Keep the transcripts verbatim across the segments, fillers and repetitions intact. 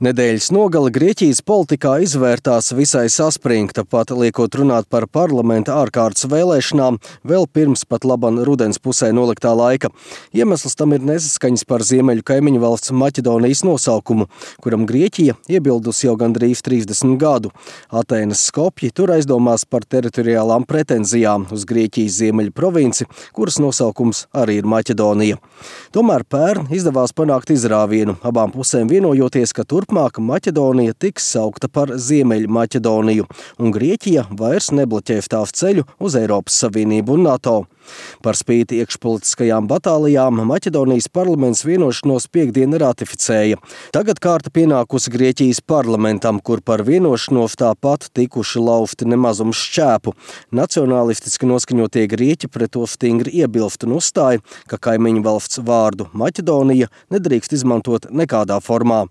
Nedēļas nogale Grieķijas politikā izvērtās visai saspringta, pat liekot runāt par parlamenta ārkārtas vēlēšanām vēl pirms pat laban rudens pusē noliktā laika. Iemesls tam ir nesaskaņas par ziemeļu kaimiņu valsts Maķedonijas nosaukumu, kuram Grieķija iebildusi jau gandrīz trīsdesmit gadu. Atēnas Skopji tur aizdomās par teritoriālām pretenzijām uz Grieķijas ziemeļu provinci, kuras nosaukums arī ir Maķedonija. Tomēr pērn izdevās panākt izrāvienu, abām pusēm vienojoties, ka turpmāk Maķedonija tiks saukta par Ziemeļu Maķedoniju, un Grieķija vairs nebloķē tāvu ceļu uz Eiropas Savienību un NATO. Par spīti iekšpolitiskajām batālijām Maķedonijas parlaments vienošanos piekdien ratificēja. Tagad kārta pienākusi Grieķijas parlamentam, kur par vienošanos tāpat tikuši laufti nemazums šķēpu. Nacionālistiski noskaņotie grieķi pret to stingri iebilst un uzstāja, ka kaimiņu valsts vārdu Maķedonija nedrīkst izmantot nekādā formā.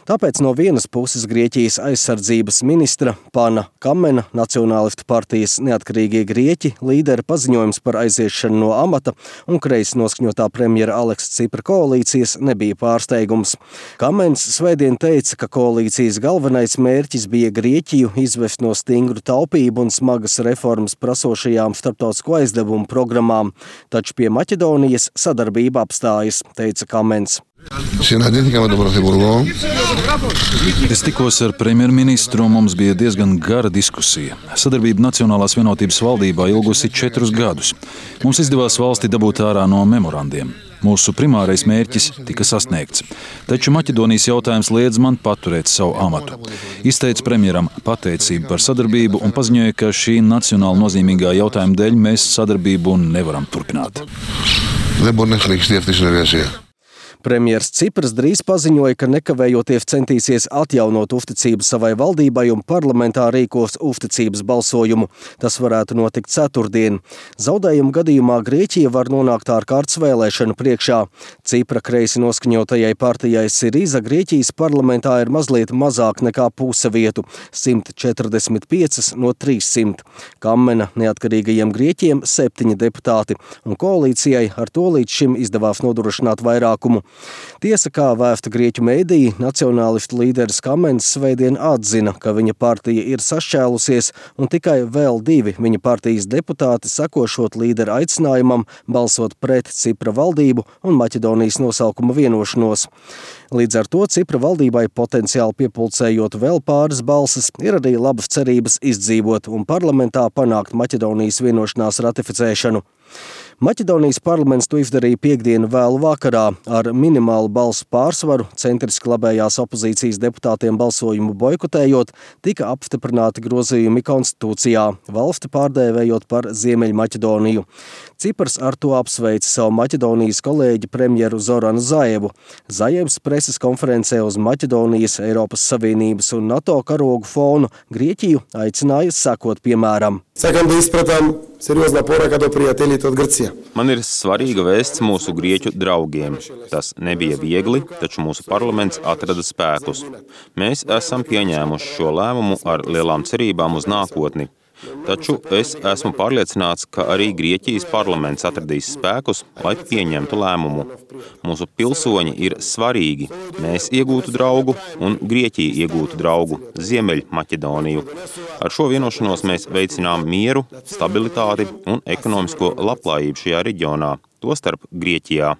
Tāpēc no vienas puses Grieķijas aizsardzības ministra Pana Kamena, Nacionālistu partijas neatkarīgie grieķi, līdera paziņojums par aiziešanu no amata un kreisi noskaņotā premjera Aleksa Cipra koalīcijas nebija pārsteigums. Kamens svētdien teica, ka koalīcijas galvenais mērķis bija Grieķiju izvest no stingru taupību un smagas reformas prasošajām starptautisko aizdevumu programmām, taču pie Maķedonijas sadarbība apstājas, teica Kamens. Es tikos ar premjerministru un mums bija diezgan gara diskusija. Sadarbība Nacionālās vienotības valdībā ilgusi četrus gadus. Mums izdevās valsti dabūt ārā no memorandiem. Mūsu primārais mērķis tika sasniegts. Taču Maķedonijas jautājums liedz man paturēt savu amatu. Izteica premjeram pateicību par sadarbību un paziņoja, ka šī nacionāli nozīmīgā jautājuma dēļ mēs sadarbību nevaram turpināt. Premjers Cipras drīz paziņoja, ka nekavējoties centīsies atjaunot uzticību savai valdībai un parlamentā rīkos uzticības balsojumu. Tas varētu notikt ceturtdien. Zaudējuma gadījumā Grieķija var nonākt ārkārtas vēlēšanu priekšā. Cipra kreisi noskaņotajai partijai Siriza Grieķijas parlamentā ir mazliet mazāk nekā puse vietu – simt četrdesmit pieci no trīssimta. Kamena neatkarīgajiem grieķiem septiņi deputāti, un koalīcijai ar to līdz šim izdevās nodrošināt vairākumu. Tiesa, kā vēsta grieķu mēdīji, nacionālistu līderis Kamens svētdien atzina, ka viņa partija ir sašķēlusies un tikai vēl divi viņa partijas deputāti sakošot līdera aicinājumam balsot pret Cipra valdību un Maķedonijas nosaukuma vienošanos. Līdz ar to Cipra valdībai potenciāli piepulcējot vēl pāris balsis, ir arī labas cerības izdzīvot un parlamentā panākt Maķedonijas vienošanās ratificēšanu. Maķedonijas parlaments to izdarīja piekdienu vēlu vakarā. Ar minimālu balsu pārsvaru centriski labējās opozīcijas deputātiem balsojumu boikotējot, tika apstiprināti grozījumi konstitūcijā, valsti pārdēvējot par Ziemeļu Maķedoniju. Cipars ar to apsveica savu Maķedonijas kolēģi premjeru Zoranu Zaevu. Zaevs preses konferencē uz Maķedonijas, Eiropas Savienības un NATO karogu fonu Grieķiju aicināja sekot piemēram. Man ir svarīga vēsts mūsu grieķu draugiem. Tas nebija viegli, taču mūsu parlaments atrada spēkus. Mēs esam pieņēmuši šo lēmumu ar lielām cerībām uz nākotni. Taču es esmu pārliecināts, ka arī Grieķijas parlaments atradīs spēkus, lai pieņemtu lēmumu. Mūsu pilsoņi ir svarīgi. Mēs iegūtu draugu un Grieķija iegūtu draugu Ziemeļu Maķedoniju. Ar šo vienošanos mēs veicinām mieru, stabilitāti un ekonomisko labklājību šajā reģionā, tostarp Grieķijā.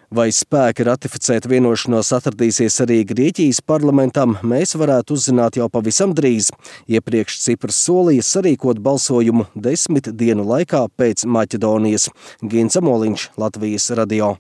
Vai spēki ratificēt vienošanos atradīsies arī Grieķijas parlamentam, mēs varētu uzzināt jau pavisam drīz. Iepriekš Cipras solīja sarīkot balsojumu desmit dienu laikā pēc Maķedonijas. Gins Amoliņš, Latvijas radio.